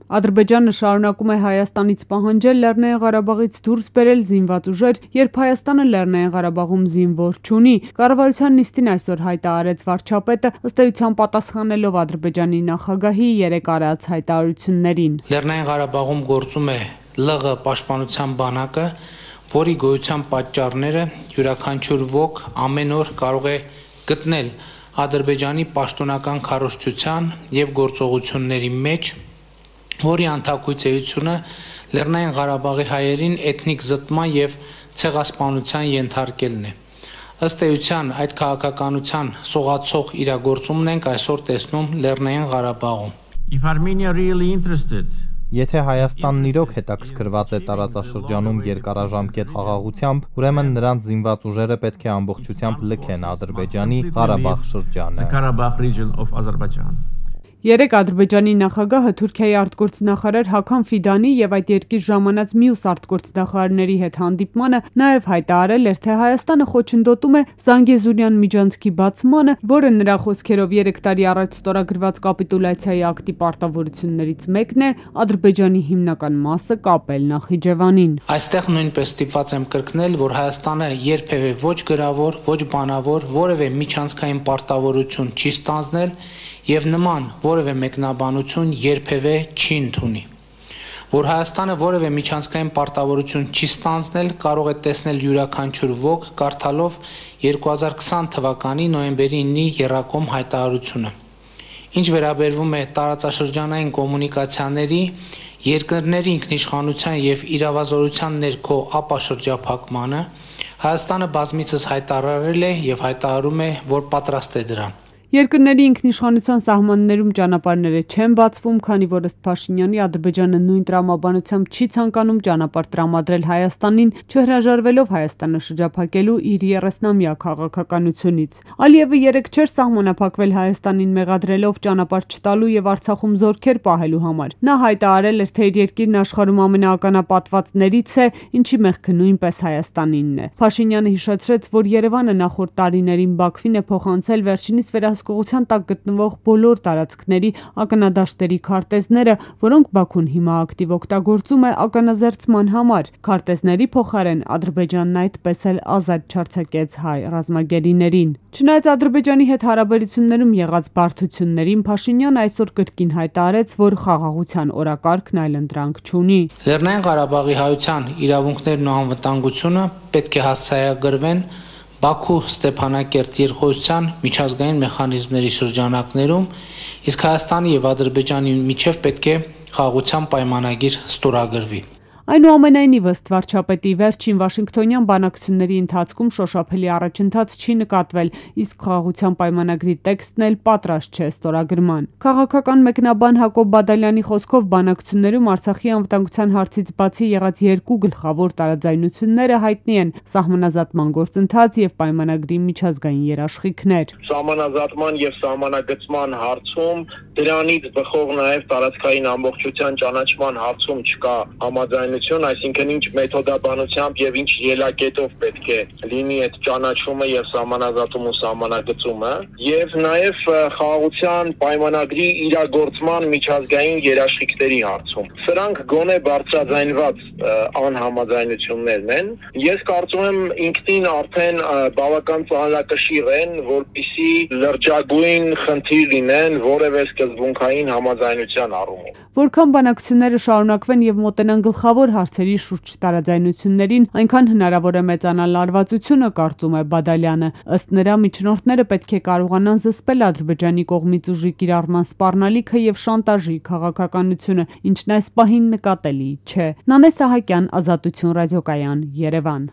Ադրբեջանը շարունակում է Հայաստանից պահանջել Լեռնային Ղարաբաղից դուրս բերել զինված ուժեր, երբ Հայաստանը Լեռնային Ղարաբաղում զինվոր չունի։ Կառավարության նիստին այսօր հայտարարեց վարչապետը, ըստ էության պատասխանելով Ադրբեջանի նախագահի երեկ արած հայտարարություններին։ Լեռնային Ղարաբաղում գործում է ԼՂ պաշտպանության բանակը, որի գոյության պատճառները յուրաքանչյուր ոք ամեն օր կարող է գտնել Ադրբեջանի պաշտոնական քարոզչության եւ գործողությունների մեջ, որի անթակույց էությունը Լեռնային Ղարաբաղի հայերին էթնիկ զտման եւ ցեղասպանության ենթարկելն է։ Ըստ էության այդ քաղաքականության սողացող իրագործումն ենք այսօր տեսնում Լեռնային Ղարաբաղում։ If Armenia really interested Եթե Հայաստանն իրոք հետաքրքրված է տարածաշրջանում երկարաժամկետ խաղաղությամբ, ուրեմն նրանց զինված ուժերը պետք է ամբողջությամբ լքեն Ադրբեջանի Ղարաբաղ շրջանը։ Երեկ Ադրբեջանի նախագահը Թուրքիայի արտգործնախարար Հական Ֆիդանի եւ այդ երկիր ժամանած մյուս արտգործնախարարների հետ հանդիպմանը նաեւ հայտարարել էր, թե Հայաստանը խոչընդոտում է Զանգեզուրյան միջանցքի բացմանը, որը նրա խոսքերով 3 տարի առաջ ստորագրված կապիտուլյացիայի ակտի պարտավորություններից մեկն է Ադրբեջանի հիմնական մասը կապել Նախիջևանին։ Այստեղ նույնպես ստիպված եմ կրկնել, որ Հայաստանը երբևէ ոչ գրավոր, ոչ բանավոր, որևէ միջանցքային պարտավորություն չի ստանձնել եւ նման որևէ մեկնաբանություն երբևէ չի ընդունի։ Որ Հայաստանը որևէ միջանցքային պարտավորություն չի ստանձնել, կարող է տեսնել յուրաքանչյուր ոք կարդալով 2020 թվականի նոյեմբերի 9-ի եռակոմ հայտարարությունը։ Ինչ վերաբերվում է տարածաշրջանային կոմունիկացիաների, երկրների ինքնիշխանության եւ իրավազորության ներքո ապաշրջափակմանը, Հայաստանը բազմիցս հայտարարել է եւ հայտարարում է, որ պատրաստ է դրան։ Երկրների ինքնիշխանության սահմաններում ճանապարհները չեն բացվում, քանի որ ըստ Փաշինյանի Ադրբեջանը նույն տրամաբանությամբ չի ցանկանում ճանապարհ տրամադրել Հայաստանին, չհրաժարվելով Հայաստանը շրջափակելու իր 30-ամյա քաղաքականությունից։ Ալիևը երեկ չէր սահմանափակվել Հայաստանին մեղադրելով ճանապարհ չտալու եւ Արցախում զորքեր պահելու համար։ Նա հայտարարել էր, թե իր երկիրն աշխարհում ամենաականապատվածներից է, ինչի մեղքը նույնպես Հայաստանինն է։ Փաշինյանը հիշեցրեց, որ Երևանը նախորդ տարիներին Բաքվին է փոխանցել վերջինիս վերահսկողության տակ գտնվող բոլոր տարածքների ականադաշտերի քարտեզները, որոնք Բաքուն հիմա ակտիվ օգտագործում է ականազերծման համար։ Քարտեզների փոխարեն Ադրբեջանն այդպես էլ ազատ չարձակեց հայ ռազմագերիներին։ Չնայած Ադրբեջանի հետ հարաբերություններում եղած բարդություններին, Փաշինյանը այսօր կրկին հայտարարեց, որ խաղաղության օրակարգն այլընտրանք չունի։ Լեռնային Ղարաբաղի հայության իրավունքներն ու անվտանգությունը պետք է հասցեագրվեն Բաքու-Ստեփանակերտ երկխոսության միջազգային մեխանիզմների շրջանակներում, իսկ Հայաստանի եւ Ադրբեջանի միջև պետք է խաղաղության պայմանագիր ստորագրվի։ Այնուամենայնիվ, ըստ վարչապետի, վերջին Վաշինգտոնյան բանակցությունների ընթացքում շոշափելի առաջընթաց չի նկատվել, իսկ խաղաղության պայմանագրի տեքստն էլ պատրաստ չէ ստորագրման։ Քաղաքական մեկնաբան Հակոբ Բադալյանի խոսքով բանակցություններում Արցախի անվտանգության հարցից բացի եղած երկու գլխավոր տարաձայնությունները հայտնի են՝ սահմանազատման գործընթաց եւ պայմանագրի միջազգային երաշխիքներ։ Սահմանազատման եւ սահմանագծման հարցում դրանից բխող նաեւ տարածքային ամբողջության ճանաչման հարցում չկա համաձայնություն, այսինքն ինչ մեթոդաբանությամբ եւ ինչ ելակետով պետք է լինի այդ ճանաչումը եւ սահմանազատումը ու սահմանագծումը, եւ նաեւ խաղաղության պայմանագրի իրագործման միջազգային երաշխիքների հարցում։ Սրանք գոնե բարձրաձայնված անհամաձայնություններն են։ Ես կարծում եմ ինքնին արդեն բավական ծանրակշիռ են, որպեսզի լրջագույն խնդիր լինեն որևէ սկզբունքային համաձայնության առումով։ Որքան բանակցությունները շարունակվեն եւ մոտենան գլխավոր հարցերի շուրջ տարաձայնություններին, այնքան հնարավոր է մեծանալ լարվածությունը, կարծում է Բադալյանը։ Ըստ նրա, միջնորդները պետք է կարողանան զսպել Ադրբեջանի կողմից ուժի կիրառման սպառնալիքը եւ շանտաժի քաղաքականությունը, ինչն այս պահին նկատելի չէ։ Նանե Սահակյան, Ազատություն ռադիոկայան, Երևան։